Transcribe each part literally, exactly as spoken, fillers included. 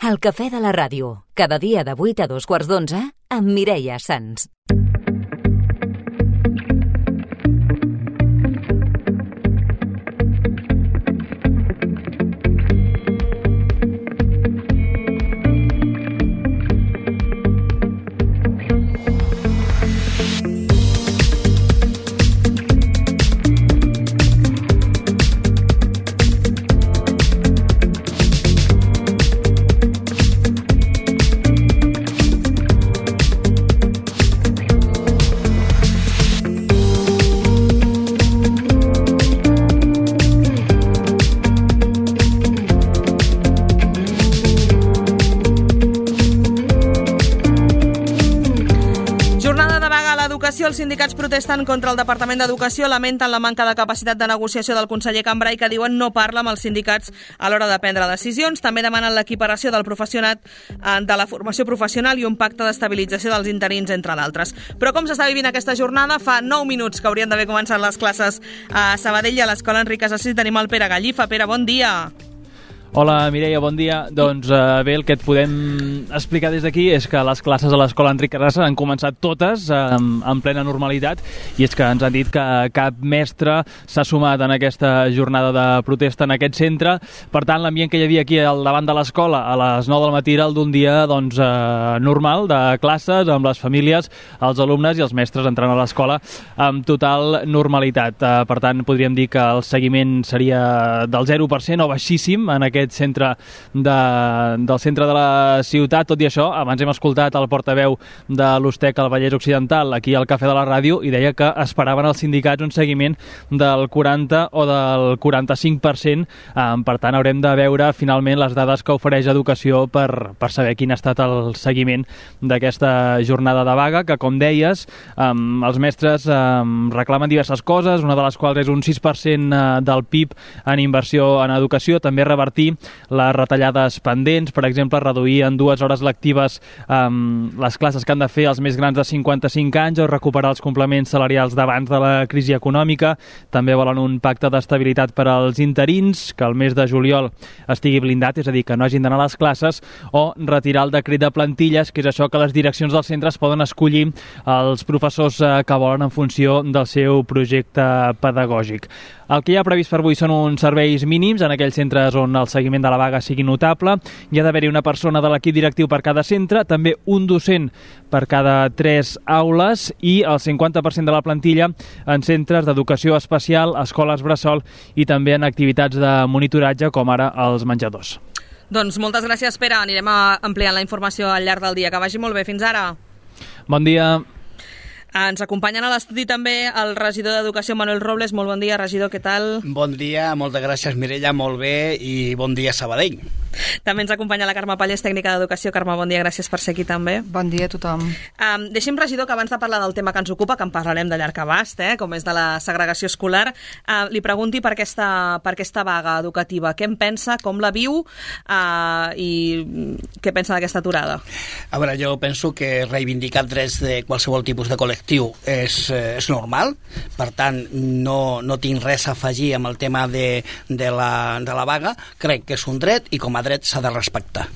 El cafè de la ràdio, cada dia de vuit a dos quarts d'onze, amb Mireia Sans. Els sindicats protesten contra el Departament d'Educació, lamenten la manca de capacitat de negociació del conseller Cambray, que diuen no parla amb els sindicats a l'hora de prendre decisions. També demanen l'equiparació del professionat de la formació professional i un pacte d'estabilització dels interins, entre d'altres. Però com s'està vivint aquesta jornada? Fa nou minuts que haurien d'haver començat les classes a Sabadell i a l'Escola Enric Casassi. Tenim el Pere Gallifa. Pere, bon dia. Hola, Mireia, bon dia. Doncs eh, bé, el que et podem explicar des d'aquí és que les classes a l'Escola Enric Casassi han començat totes eh, en plena normalitat, i és que ens han dit que cap mestre s'ha sumat en aquesta jornada de protesta en aquest centre. Per tant, l'ambient que hi havia aquí al davant de l'escola a les nou del matí era el d'un dia doncs, eh, normal de classes, amb les famílies, els alumnes i els mestres entrant a l'escola amb total normalitat. Eh, per tant, podríem dir que el seguiment seria del zero per cent o baixíssim en aquest centre de, del centre de la ciutat. Tot i això, abans hem escoltat el portaveu de l'Ustec al Vallès Occidental aquí al Cafè de la Ràdio, i deia que esperaven els sindicats un seguiment del quaranta o del quaranta-cinc per cent. Per tant, haurem de veure finalment les dades que ofereix Educació per, per saber quin ha estat el seguiment d'aquesta jornada de vaga, que, com deies, els mestres reclamen diverses coses, una de les quals és un sis per cent del P I B en inversió en educació, també revertir les retallades pendents, per exemple, reduir en dues hores lectives um, les classes que han de fer els més grans de cinquanta-cinc anys o recuperar els complements salarials d'abans de la crisi econòmica. També volen un pacte d'estabilitat per als interins, que el mes de juliol estigui blindat, és a dir, que no hagin d'anar a les classes, o retirar el decret de plantilles, que és això que les direccions dels centres poden escollir els professors que volen en funció del seu projecte pedagògic. El que hi ha previst per avui són uns serveis mínims en aquells centres on el seguiment de la vaga sigui notable. Hi ha d'haver-hi una persona de l'equip directiu per cada centre, també un docent per cada tres aules i el cinquanta per cent de la plantilla en centres d'educació especial, escoles bressol i també en activitats de monitoratge com ara els menjadors. Doncs moltes gràcies, Pere. Anirem ampliant la informació al llarg del dia. Que vagi molt bé. Fins ara. Bon dia. Ens acompanyen a l'estudi també el regidor d'Educació, Manuel Robles. Molt bon dia, regidor, què tal? Bon dia, moltes gràcies, Mireia, molt bé, i bon dia, Sabadell. També ens acompanya la Carme Pallés, tècnica d'Educació. Carme, bon dia, gràcies per ser aquí també. Bon dia a tothom. Um, deixi'm, regidor, que abans de parlar del tema que ens ocupa, que en parlarem de llarg abast, eh, com és de la segregació escolar, uh, li pregunti per aquesta, per aquesta vaga educativa. Què en pensa, com la viu uh, i què pensa d'aquesta aturada? A veure, jo penso que reivindicar drets de qualsevol tipus de col·lectiu és, és normal, per tant no, no tinc res a afegir amb el tema de, de, la, de la vaga. Crec que és un dret i com a dret s'ha de respectar.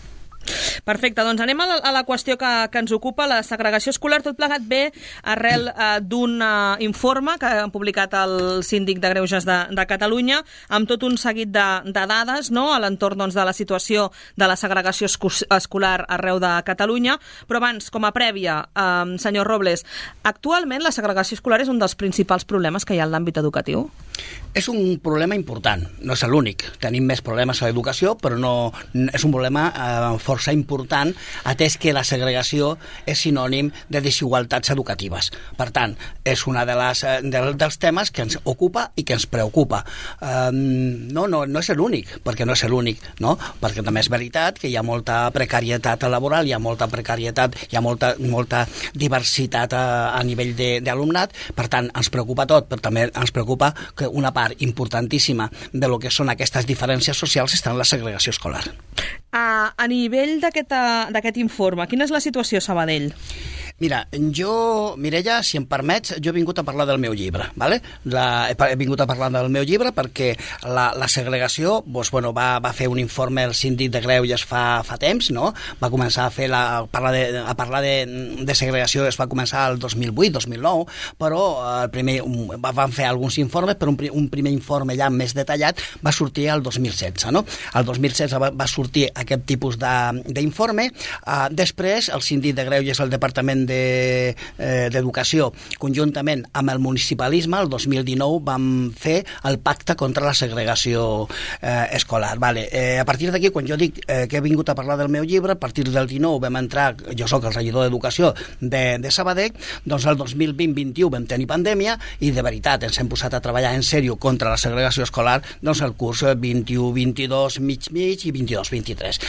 Perfecte, doncs anem a la, a la qüestió que, que ens ocupa, la segregació escolar. Tot plegat ve arrel eh, d'un eh, informe que ha publicat el Síndic de Greuges de, de Catalunya, amb tot un seguit de, de dades, no?, a l'entorn, doncs, de la situació de la segregació escolar arreu de Catalunya. Però abans, com a prèvia, eh, senyor Robles, actualment la segregació escolar és un dels principals problemes que hi ha en l'àmbit educatiu? És un problema important, no és l'únic. Tenim més problemes a l'educació, però no, és un problema eh, força important, atès que la segregació és sinònim de desigualtats educatives. Per tant, és una de les, de, dels temes que ens ocupa i que ens preocupa. Eh, no, no, no és l'únic, perquè no és l'únic, no? Perquè també és veritat que hi ha molta precarietat laboral, hi ha molta precarietat, hi ha molta, molta diversitat a, a nivell d'alumnat, per tant, ens preocupa tot, però també ens preocupa que una part importantíssima de lo que són aquestes diferències socials està en la segregació escolar. A, a nivell d'aquest informe, quina és la situació a Sabadell? Mira, jo, Mireia, si em permets, jo he vingut a parlar del meu llibre, ¿vale? La, he vingut a parlar del meu llibre perquè la, la segregació, doncs, bueno, va, va fer un informe el síndic de Greuges fa, fa temps, no? Va començar a fer la, a parlar, de, a parlar de, de segregació, es va començar el dos mil vuit, dos mil nou, però el primer, van fer alguns informes, però un, un primer informe ja més detallat va sortir el dos mil setze, no? El dos mil setze va, va sortir aquest tipus d'informe, uh, després el síndic de Greuges, el Departament d'Educació, de, eh, conjuntament amb el municipalisme, el dos mil dinou vam fer el pacte contra la segregació eh, escolar. Vale. Eh, a partir d'aquí, quan jo dic eh, que he vingut a parlar del meu llibre, a partir del dinou vam entrar, jo sóc el regidor d'Educació de, de Sabadell, doncs el dos mil vint vint u vam tenir pandèmia i de veritat ens hem posat a treballar en sèrio contra la segregació escolar doncs el curs vint-i-u vint-i-dos mig mig i vint-i-dos vint-i-tres.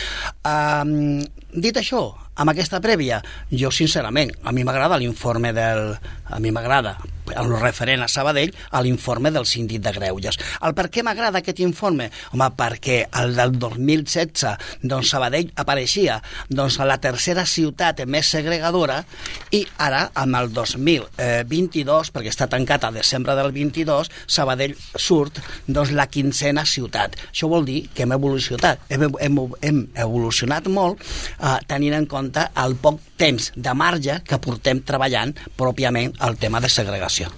Um, dit això, amb aquesta prèvia, jo sincerament, a mi m'agrada l'informe del... a mi m'agrada, el referent a Sabadell, a l'informe del síndic de Greuges. El per què m'agrada aquest informe? Home, perquè el del dos mil setze, doncs Sabadell apareixia doncs a la tercera ciutat més segregadora i ara, amb el dos mil vint-i-dos, perquè està tancat a desembre del vint-i-dos, Sabadell surt doncs la quinzena ciutat. Això vol dir que hem evolucionat, hem, hem, hem evolucionat molt eh, tenint en compte el poc temps de marge que portem treballant pròpiament el tema de segregació.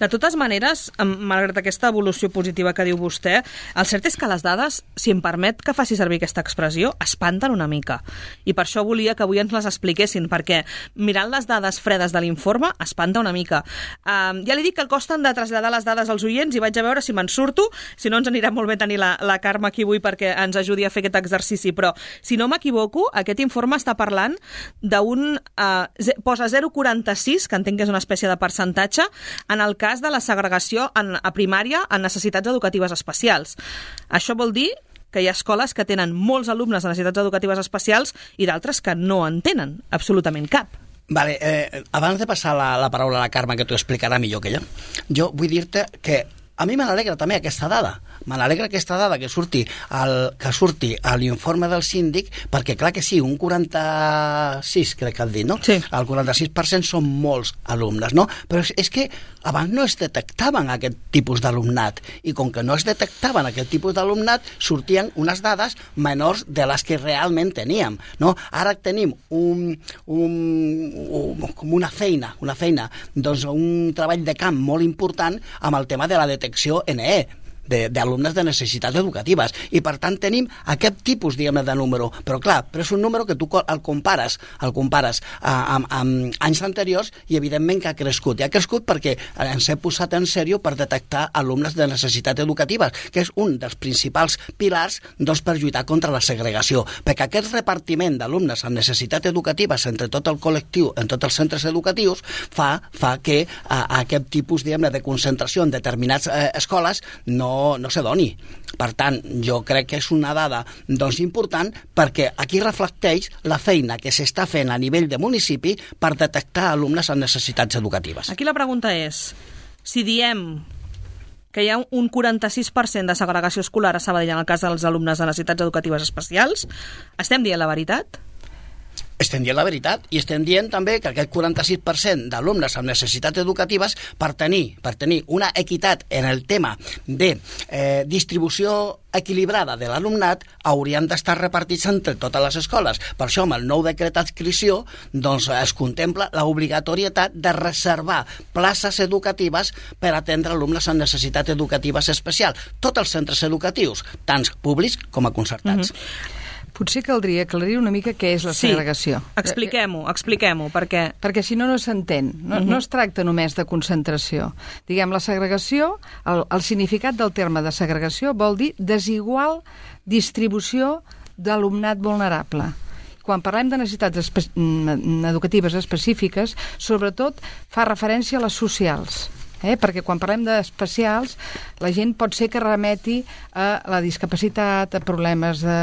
De totes maneres, malgrat aquesta evolució positiva que diu vostè, el cert és que les dades, si em permet que faci servir aquesta expressió, espanten una mica. I per això volia que avui ens les expliquessin, perquè mirant les dades fredes de l'informe, espanta una mica. Uh, ja li dic que el costen de traslladar les dades als oients i vaig a veure si me'n surto, si no ens anirà molt bé tenir la, la Carme aquí avui perquè ens ajudi a fer aquest exercici, però si no m'equivoco, aquest informe està parlant d'un... Uh, posa zero coma quaranta-sis, que entenc que és una espècie de percentatge, en el cas de la segregació en, a primària en necessitats educatives especials. Això vol dir que hi ha escoles que tenen molts alumnes de necessitats educatives especials i d'altres que no en tenen absolutament cap. Vale, eh, abans de passar la, la paraula a la Carme, que t'ho explicarà millor que jo, jo vull dir-te que a mi me n'alegra també aquesta dada. Me n'alegra aquesta dada que surti, el, que surti a l'informe del síndic, perquè clar que sí, un quaranta-sis, crec que has dit, no? Sí. El quaranta-sis per cent són molts alumnes, no? Però és, és que abans no es detectaven aquest tipus d'alumnat, i com que no es detectaven aquest tipus d'alumnat, sortien unes dades menors de les que realment teníem, no? Ara tenim un, un, un, com una feina, una feina, doncs un treball de camp molt important amb el tema de la detecció N E, d'alumnes de, de necessitats educatives, i per tant tenim aquest tipus, diguem-ne, de número, però clar, però és un número que tu el compares el compares uh, amb, amb anys anteriors i evidentment que ha crescut, i ha crescut perquè ens hem posat en sèrio per detectar alumnes de necessitats educatives, que és un dels principals pilars doncs, per lluitar contra la segregació, perquè aquest repartiment d'alumnes amb necessitats educatives entre tot el col·lectiu, en tots els centres educatius, fa, fa que uh, aquest tipus, diguem-ne, de concentració en determinades uh, escoles no No, no se doni. Per tant, jo crec que és una dada doncs, important perquè aquí reflecteix la feina que s'està fent a nivell de municipi per detectar alumnes amb necessitats educatives. Aquí la pregunta és, si diem que hi ha un quaranta-sis per cent de segregació escolar a Sabadell en el cas dels alumnes de necessitats educatives especials, estem dient la veritat? Estem dient la veritat i estem dient també que aquest quaranta-sis per cent d'alumnes amb necessitats educatives per tenir, per tenir una equitat en el tema de eh, distribució equilibrada de l'alumnat haurien d'estar repartits entre totes les escoles. Per això, amb el nou decret d'adscripció doncs, es contempla l'obligatorietat de reservar places educatives per atendre alumnes amb necessitats educatives especials. Tots els centres educatius, tant públics com a concertats. Mm-hmm. Potser caldria aclarir una mica què és la segregació. Sí, expliquem-ho, expliquem-ho, perquè... Perquè si no, no s'entén. No, uh-huh. no es tracta només de concentració. Diguem, la segregació, el, el significat del terme de segregació vol dir desigual distribució d'alumnat vulnerable. Quan parlem de necessitats espe- educatives específiques, sobretot fa referència a les socials. Eh? Perquè quan parlem d'especials, la gent pot ser que remeti a la discapacitat, a problemes de,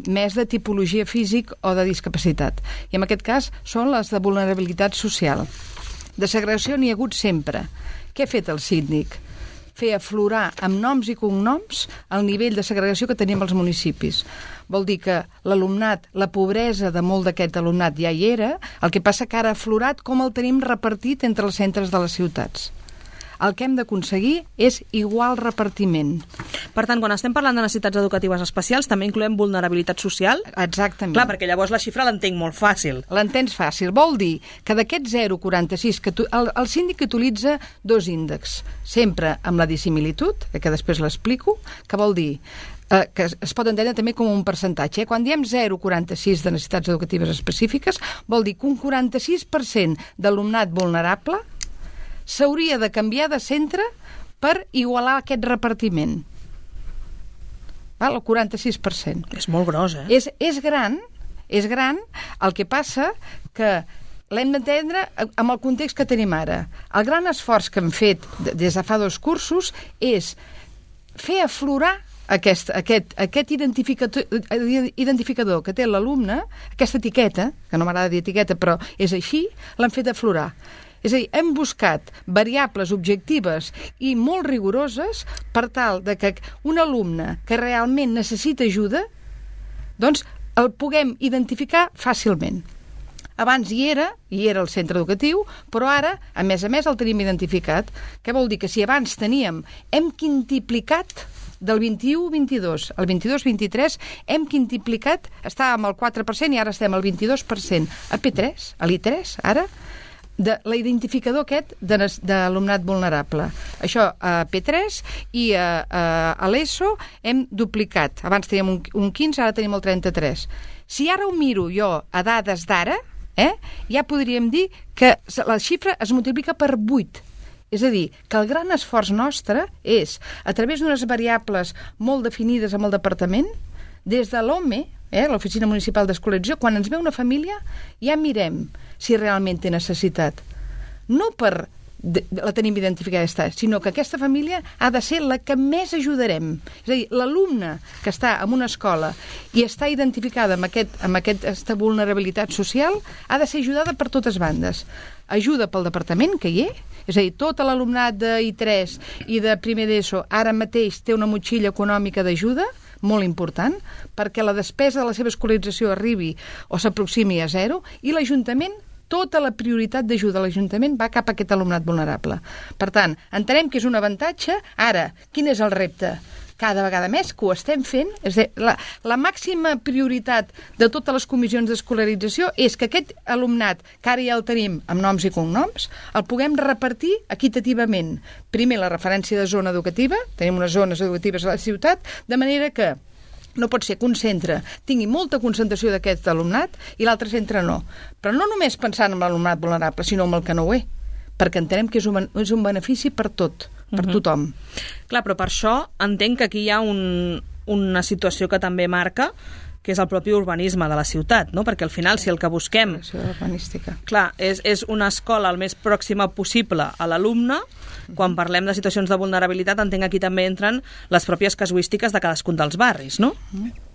més de tipologia físic o de discapacitat. I en aquest cas són les de vulnerabilitat social. De segregació n'hi ha hagut sempre. Què ha fet el síndic? fer aflorar amb noms i cognoms el nivell de segregació que tenim als municipis. Vol dir que l'alumnat, la pobresa de molt d'aquest alumnat ja hi era, el que passa que ara ha aflorat com el tenim repartit entre els centres de les ciutats. El que hem d'aconseguir és igual repartiment. Per tant, quan estem parlant de necessitats educatives especials, també incloem vulnerabilitat social? Exactament. Clar, perquè llavors la xifra l'entenc molt fàcil. L'entens fàcil. Vol dir que d'aquest zero coma quaranta-sis, que tu, el, el síndic utilitza dos índexs, sempre amb la dissimilitud, que després l'explico, que vol dir eh, que es pot entendre també com un percentatge. Eh? Quan diem zero coma quaranta-sis de necessitats educatives específiques, vol dir que un quaranta-sis per cent d'alumnat vulnerable s'hauria de canviar de centre per igualar aquest repartiment. Val? El quaranta-sis per cent. És molt gros, eh? És, és gran, és gran, el que passa que l'hem d'entendre amb el context que tenim ara. El gran esforç que hem fet des de fa dos cursos és fer aflorar aquest, aquest, aquest identificador, identificador que té l'alumne, aquesta etiqueta, que no m'agrada dir etiqueta, però és així, l'hem fet aflorar. És a dir, hem buscat variables objectives i molt rigoroses per tal de que un alumne que realment necessita ajuda, doncs el puguem identificar fàcilment. Abans hi era, hi era el centre educatiu, però ara, a més a més, el tenim identificat. Què vol dir? Que si abans teníem, hem quintuplicat del vint-i-u vint-i-dos al vint-i-dos vint-i-tres, hem quintuplicat, estàvem al quatre per cent i ara estem al vint-i-dos per cent. A P tres, a l'I tres, ara, de l'identificador aquest d'alumnat vulnerable. Això a P tres i a, a, a l'ESO hem duplicat. Abans teníem un, un quinze, ara tenim el trenta-tres. Si ara ho miro jo a dades d'ara, eh, ja podríem dir que la xifra es multiplica per vuit. És a dir, que el gran esforç nostre és, a través d'unes variables molt definides amb el departament, des de l'O M E, eh, l'Oficina Municipal d'Escolarització, quan ens ve una família, ja mirem si realment té necessitat. No per de, la tenim identificada, sinó que aquesta família ha de ser la que més ajudarem. És a dir, l'alumne que està en una escola i està identificada amb, aquest, amb aquesta vulnerabilitat social ha de ser ajudada per totes bandes. Ajuda pel departament, que hi és, és a dir, tot l'alumnat de I tres i de primer d'ESO ara mateix té una motxilla econòmica d'ajuda, molt important, perquè la despesa de la seva escolarització arribi o s'aproximi a zero, i l'Ajuntament, tota la prioritat d'ajuda a l'Ajuntament va cap a aquest alumnat vulnerable. Per tant, entenem que és un avantatge. Ara, quin és el repte? Cada vegada més que ho estem fent, és a dir, la, la màxima prioritat de totes les comissions d'escolarització és que aquest alumnat, que ara ja el tenim amb noms i cognoms, el puguem repartir equitativament. Primer, la referència de zona educativa, tenim unes zones educatives a la ciutat, de manera que no pot ser que un centre tingui molta concentració d'aquest alumnat i l'altre centre no. Però no només pensant en l'alumnat vulnerable, sinó en el que no ho és, perquè entenem que és un, és un benefici per tot, per uh-huh. tothom. Clar, però per això entenc que aquí hi ha un, una situació que també marca, que és el propi urbanisme de la ciutat, no? Perquè al final, si el que busquem... urbanística. Clar, és, és una escola el més pròxima possible a l'alumne. Quan parlem de situacions de vulnerabilitat, entenc que aquí també entren les pròpies casuístiques de cadascun dels barris, no?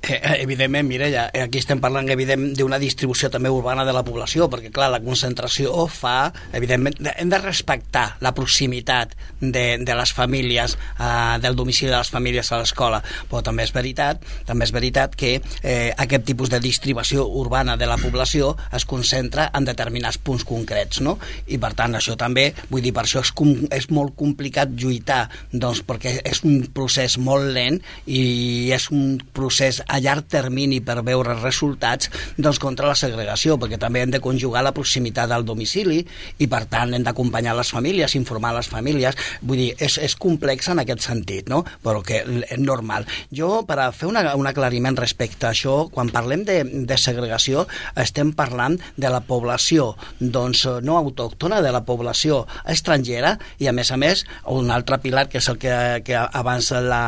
Eh, evidentment, Mireia, aquí estem parlant evident d'una distribució també urbana de la població, perquè clar, la concentració fa, evidentment, hem de respectar la proximitat de, de les famílies, eh, del domicili de les famílies a l'escola, però també és veritat, també és veritat que eh, aquest tipus de distribució urbana de la població es concentra en determinats punts concrets, no? I per tant, això també, vull dir, per això és, com, és molt complicat lluitar, doncs, perquè és un procés molt lent i és un procés a llarg termini per veure resultats, doncs, contra la segregació, perquè també hem de conjugar la proximitat al domicili i per tant hem d'acompanyar les famílies, informar les famílies, vull dir, és, és complex en aquest sentit, no? Però que és normal. Jo, per a fer una, un aclariment respecte a això, quan parlem de, de segregació, estem parlant de la població, doncs, no autòctona, de la població estrangera i, a més a més, un altre pilar, que és el que, que abans la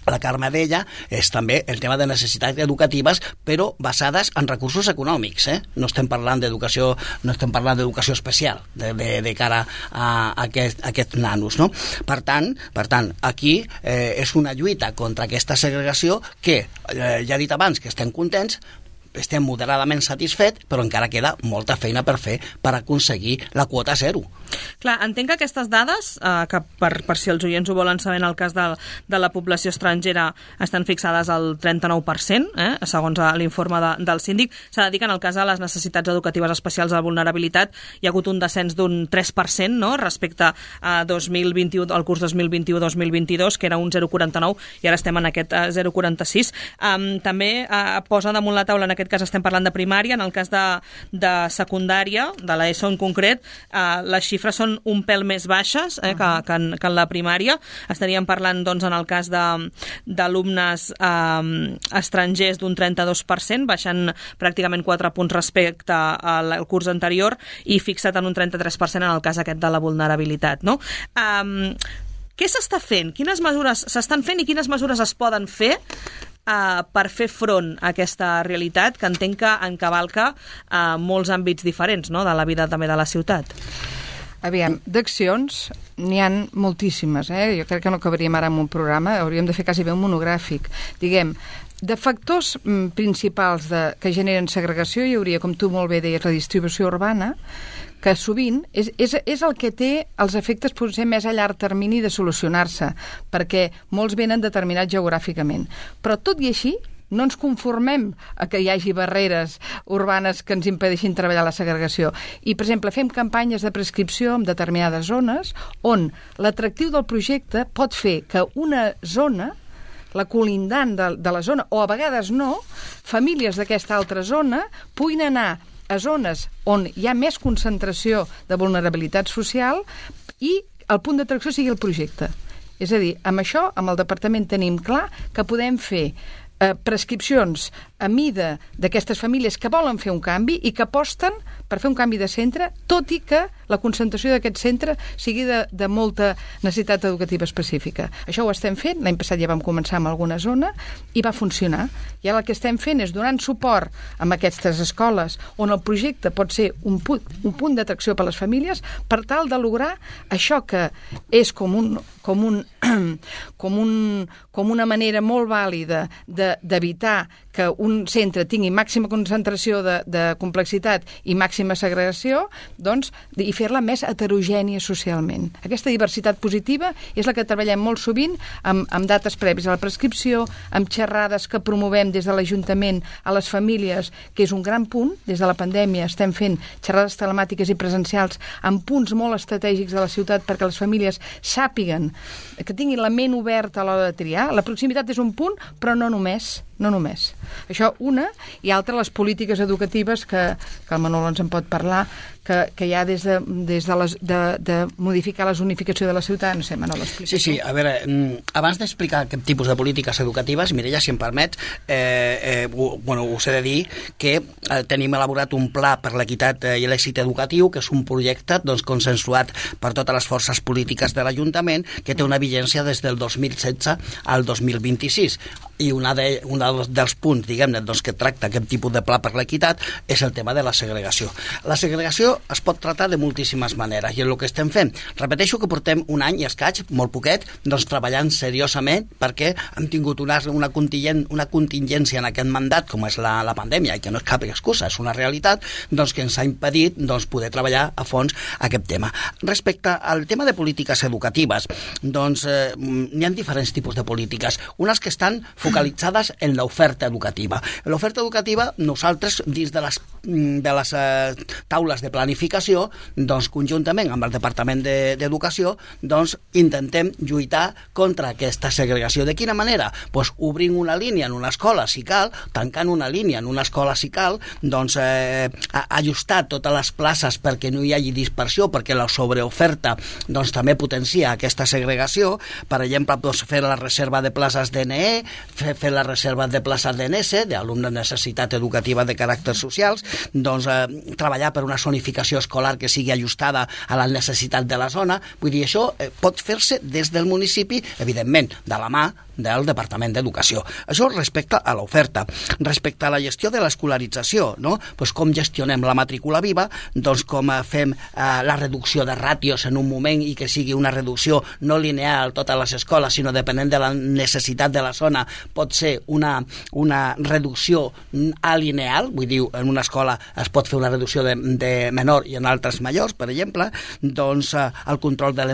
la Carme deia, és també el tema de necessitats educatives, però basades en recursos econòmics, eh? No estem parlant d'educació, no estem parlant d'educació especial de, de, de cara a, a, aquest, a aquests nanos, no? Per tant, per tant aquí eh, és una lluita contra aquesta segregació que, eh, ja he dit abans, que estem contents, estem moderadament satisfets, però encara queda molta feina per fer per aconseguir la quota zero. Clar, entenc que aquestes dades, eh, que per, per si els oients ho volen saber, en el cas de, de la població estrangera estan fixades al trenta-nou per cent, eh, segons l'informe de, del síndic. S'ha de dir que en el cas de les necessitats educatives especials de vulnerabilitat hi ha hagut un descens d'un tres per cent, no?, respecte a dos mil vint-i-u, al curs dos mil vint-i-u dos mil vint-i-dos, que era un zero coma quaranta-nou, i ara estem en aquest uh, zero coma quaranta-sis. Um, també uh, posa damunt la taula, en aquest cas estem parlant de primària, en el cas de, de secundària, de l'ESO en concret, uh, les xifres són un pèl més baixes eh, que, que, en, que en la primària. Estaríem parlant, doncs, en el cas d'alumnes eh, estrangers d'un trenta-dos per cent, baixant pràcticament quatre punts respecte al, al curs anterior i fixat en un trenta-tres per cent en el cas aquest de la vulnerabilitat, no? Um, què s'està fent? Quines mesures s'estan fent i quines mesures es poden fer Uh, per fer front a aquesta realitat que entenc que encavalca uh, molts àmbits diferents, no?, de la vida també de la ciutat? Aviam, d'accions n'hi ha moltíssimes, eh? Jo crec que no acabaríem ara amb un programa, hauríem de fer quasi bé un monogràfic. Diguem, de factors mm, principals de, que generen segregació hi hauria, com tu molt bé deies, la distribució urbana, que sovint és, és, és el que té els efectes potser més a llarg termini de solucionar-se, perquè molts venen determinats geogràficament. Però tot i així, no ens conformem a que hi hagi barreres urbanes que ens impedeixin treballar la segregació. I, per exemple, fem campanyes de prescripció en determinades zones on l'atractiu del projecte pot fer que una zona, la colindant de, de la zona, o a vegades no, famílies d'aquesta altra zona puguin anar a zones on hi ha més concentració de vulnerabilitat social i el punt d'atracció sigui el projecte. És a dir, amb això, amb el departament tenim clar que podem fer eh, prescripcions a mida d'aquestes famílies que volen fer un canvi i que aposten per fer un canvi de centre, tot i que la concentració d'aquest centre sigui de, de molta necessitat educativa específica. Això ho estem fent, l'any passat ja vam començar amb alguna zona i va funcionar. I ara el que estem fent és donant suport a aquestes escoles on el projecte pot ser un punt, un punt d'atracció per a les famílies per tal de lograr això que és com un, com un, com un, com una manera molt vàlida d'evitar que un centre tingui màxima concentració de, de complexitat i màxima segregació, doncs, i fer-la més heterogènia socialment. Aquesta diversitat positiva és la que treballem molt sovint amb, amb dates prèvies a la prescripció, amb xerrades que promovem des de l'Ajuntament a les famílies, que és un gran punt. Des de la pandèmia estem fent xerrades telemàtiques i presencials amb punts molt estratègics de la ciutat perquè les famílies sàpiguen, que tinguin la ment oberta a l'hora de triar. La proximitat és un punt, però no només. No només. Això, una, i altra, les polítiques educatives que, que el Manolo ens en pot parlar, que, que hi ha des de, des de, les, de, de modificar la zonificació de la ciutat. No sé, Manolo, explica. Sí, sí, a veure, abans d'explicar aquest tipus de polítiques educatives, Mireia, si em permet, eh, eh, ho, bueno, us he de dir que eh, tenim elaborat un pla per l'equitat i l'èxit educatiu, que és un projecte doncs, consensuat per totes les forces polítiques de l'Ajuntament, que té una vigència des del dos mil setze al dos mil vint-i-sis. I una de, una dels punts, diguem-ne, doncs, que tracta aquest tipus de pla per l'equitat és el tema de la segregació. La segregació es pot tractar de moltíssimes maneres i és el que estem fent. Repeteixo que portem un any i escaig, molt poquet, doncs treballant seriosament perquè hem tingut una, una, contingent, una contingència en aquest mandat, com és la, la pandèmia, i que no és cap excusa, és una realitat, doncs que ens ha impedit doncs, poder treballar a fons aquest tema. Respecte al tema de polítiques educatives, doncs eh, n'hi ha diferents tipus de polítiques. Unes que estan focalitzades en l'oferta educativa. En l'oferta educativa, nosaltres, dins de les, de les eh, taules de planificació, doncs, conjuntament amb el Departament d'Educació, de, doncs, intentem lluitar contra aquesta segregació. De quina manera? Pues, obrint una línia en una escola, si cal, tancant una línia en una escola, si cal, doncs, eh, ajustar totes les places perquè no hi hagi dispersió, perquè la sobreoferta doncs, també potencia aquesta segregació. Per exemple, doncs, fer la reserva de places d'N E, fer, fer la reserva de places d'N S, d'alumnes de necessitat educativa de caràcters socials, doncs eh, treballar per una zonificació escolar que sigui ajustada a la necessitat de la zona. Vull dir, això eh, pot fer-se des del municipi, evidentment, de la mà del Departament d'Educació. Això respecte a l'oferta. Respecte a la gestió de l'escolarització, no? Pues com gestionem la matrícula viva, doncs com fem eh, la reducció de ràtios en un moment i que sigui una reducció no lineal a totes les escoles, sinó depenent de la necessitat de la zona, pot ser una, una reducció alineal, vull dir, en una escola es pot fer una reducció de, de menor i en altres majors, per exemple, doncs eh, el control de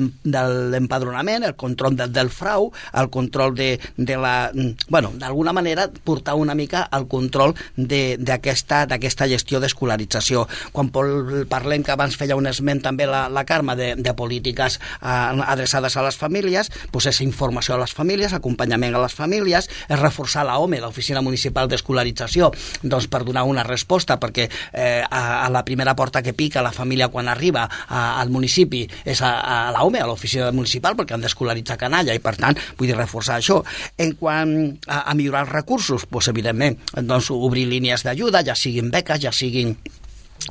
l'empadronament, el control de, del frau, el control de, de la... Bueno, d'alguna manera portar una mica al control d'aquesta d'aquesta gestió d'escolarització. Quan parlem, que abans feia un esment també la, la Carme, de, de polítiques eh, adreçades a les famílies, doncs és informació a les famílies, acompanyament a les famílies, és reforçar l'O M E, l'Oficina Municipal d'Escolarització, doncs per donar una resposta, perquè eh, a, a la primera porta que pica la família quan arriba a, al municipi és a, a l'O M E, a l'oficina municipal, perquè han d'escolaritzar canalla, i per tant vull dir reforçar això. En quant a, a millorar els recursos, doncs evidentment doncs, obrir línies d'ajuda, ja siguin beques, ja siguin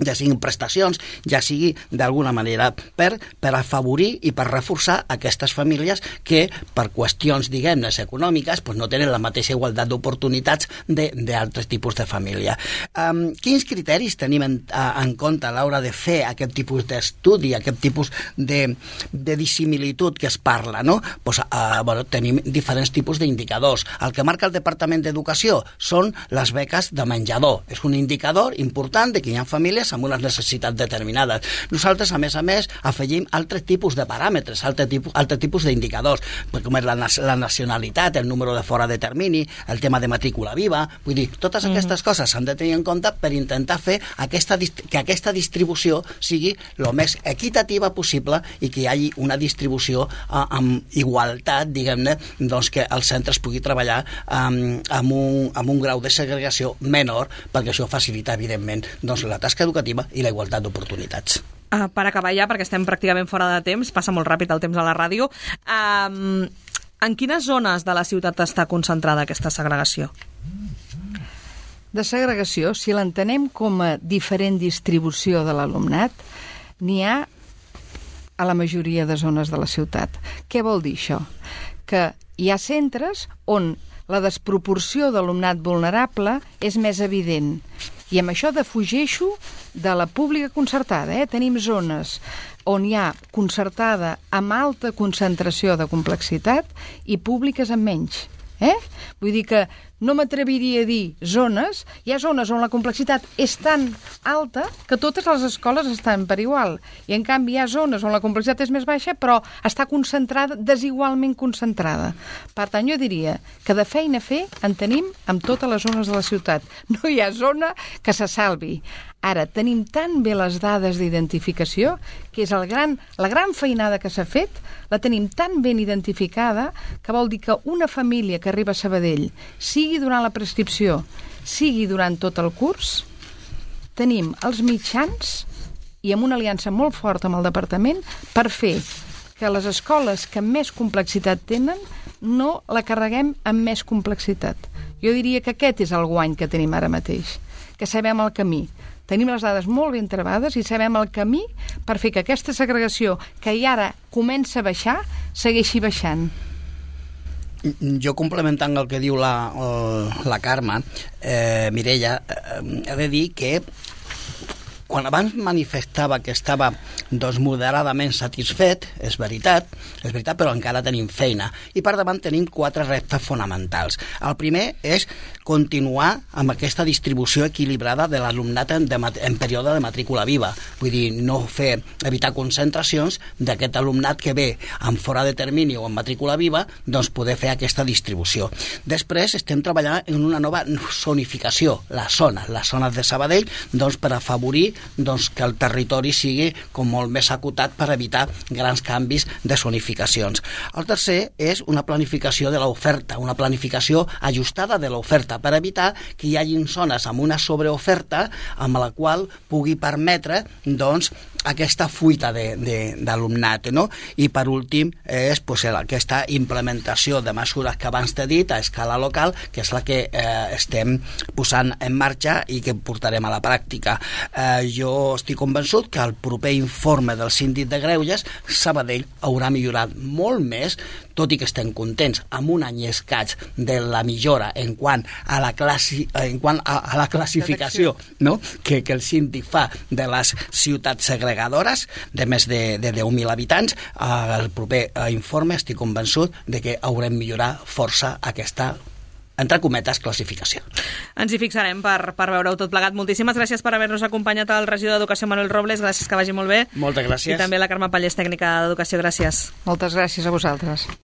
ja siguin prestacions, ja sigui d'alguna manera per, per afavorir i per reforçar aquestes famílies que per qüestions, diguem-ne, econòmiques doncs no tenen la mateixa igualtat d'oportunitats d'altres tipus de família. Um, quins criteris tenim en, en compte a l'hora de fer aquest tipus d'estudi, aquest tipus de, de dissimilitud que es parla, no? Pues, uh, bueno, tenim diferents tipus d'indicadors. El que marca el Departament d'Educació són les beques de menjador. És un indicador important de que hi ha famílies amb unes necessitats determinades. Nosaltres, a més a més, afegim altres tipus de paràmetres, altres tipus, altres tipus d'indicadors, com és la, la nacionalitat, el número de fora de termini, el tema de matrícula viva, vull dir, totes aquestes mm-hmm. coses s'han de tenir en compte per intentar fer aquesta, que aquesta distribució sigui el més equitativa possible i que hi hagi una distribució eh, amb igualtat, diguem-ne, doncs que el centre es pugui treballar eh, amb, un, amb un grau de segregació menor, perquè això facilita, evidentment, doncs, la tasca educativa i la igualtat d'oportunitats. Uh, per acabar ja, perquè estem pràcticament fora de temps, passa molt ràpid el temps a la ràdio, uh, en quines zones de la ciutat està concentrada aquesta segregació? De segregació, si l'entenem com a diferent distribució de l'alumnat, n'hi ha a la majoria de zones de la ciutat. Què vol dir això? Que hi ha centres on la desproporció d'alumnat vulnerable és més evident. I amb això defugeixo de la pública concertada. Eh? Tenim zones on hi ha concertada amb alta concentració de complexitat i públiques amb menys. Eh? Vull dir que no m'atreviria a dir zones, hi ha zones on la complexitat és tan alta que totes les escoles estan per igual, i en canvi hi ha zones on la complexitat és més baixa però està concentrada, desigualment concentrada. Per tant, jo diria que de feina a fer en tenim amb totes les zones de la ciutat. No hi ha zona que se salvi. Ara, tenim tan bé les dades d'identificació, que és el gran, la gran feinada que s'ha fet, la tenim tan ben identificada, que vol dir que una família que arriba a Sabadell, sigui durant la prescripció, sigui durant tot el curs, tenim els mitjans i amb una aliança molt forta amb el departament per fer que les escoles que més complexitat tenen no la carreguem amb més complexitat. Jo diria que aquest és el guany que tenim ara mateix, que sabem el camí. Tenim les dades molt ben trebades i sabem el camí per fer que aquesta segregació, que ja ara comença a baixar, segueixi baixant. Jo, complementant el que diu la, la Carme, eh, Mireia, eh, he de dir que quan abans manifestava que estava doncs, moderadament satisfet, és veritat, és veritat, però encara tenim feina. I per davant tenim quatre reptes fonamentals. El primer és continuar amb aquesta distribució equilibrada de l'alumnat en, en període de matrícula viva. Vull dir, no fer, evitar concentracions d'aquest alumnat que ve en fora de termini o en matrícula viva, doncs poder fer aquesta distribució. Després estem treballant en una nova zonificació, les zones, les zones de Sabadell, doncs per afavorir doncs, que el territori sigui com molt més acotat per evitar grans canvis de zonificacions. El tercer és una planificació de l'oferta, una planificació ajustada de l'oferta per evitar que hi hagi zones amb una sobreoferta amb la qual pugui permetre doncs, aquesta fuita d'alumnat, no? I per últim és pues, aquesta implementació de mesures que abans t'he dit a escala local, que és la que eh, estem posant en marxa i que portarem a la pràctica. Eh, jo estic convençut que el proper informe del síndic de Greuges, Sabadell haurà millorat molt més tot i que estem contents amb un any i escaig de la millora en quant a la, classi, en quant a, a la classificació, no?, que, que el síndic fa de les ciutats segregadores de més de, de deu mil habitants, eh, el proper eh, informe estic convençut de que haurem millorat força aquesta, entre cometes, classificació. Ens hi fixarem per, per veure-ho tot plegat. Moltíssimes gràcies per haver-nos acompanyat al regidor d'Educació, Manuel Robles. Gràcies, que vagi molt bé. Moltes gràcies. I també la Carme Pallés, tècnica d'Educació. Gràcies. Moltes gràcies a vosaltres.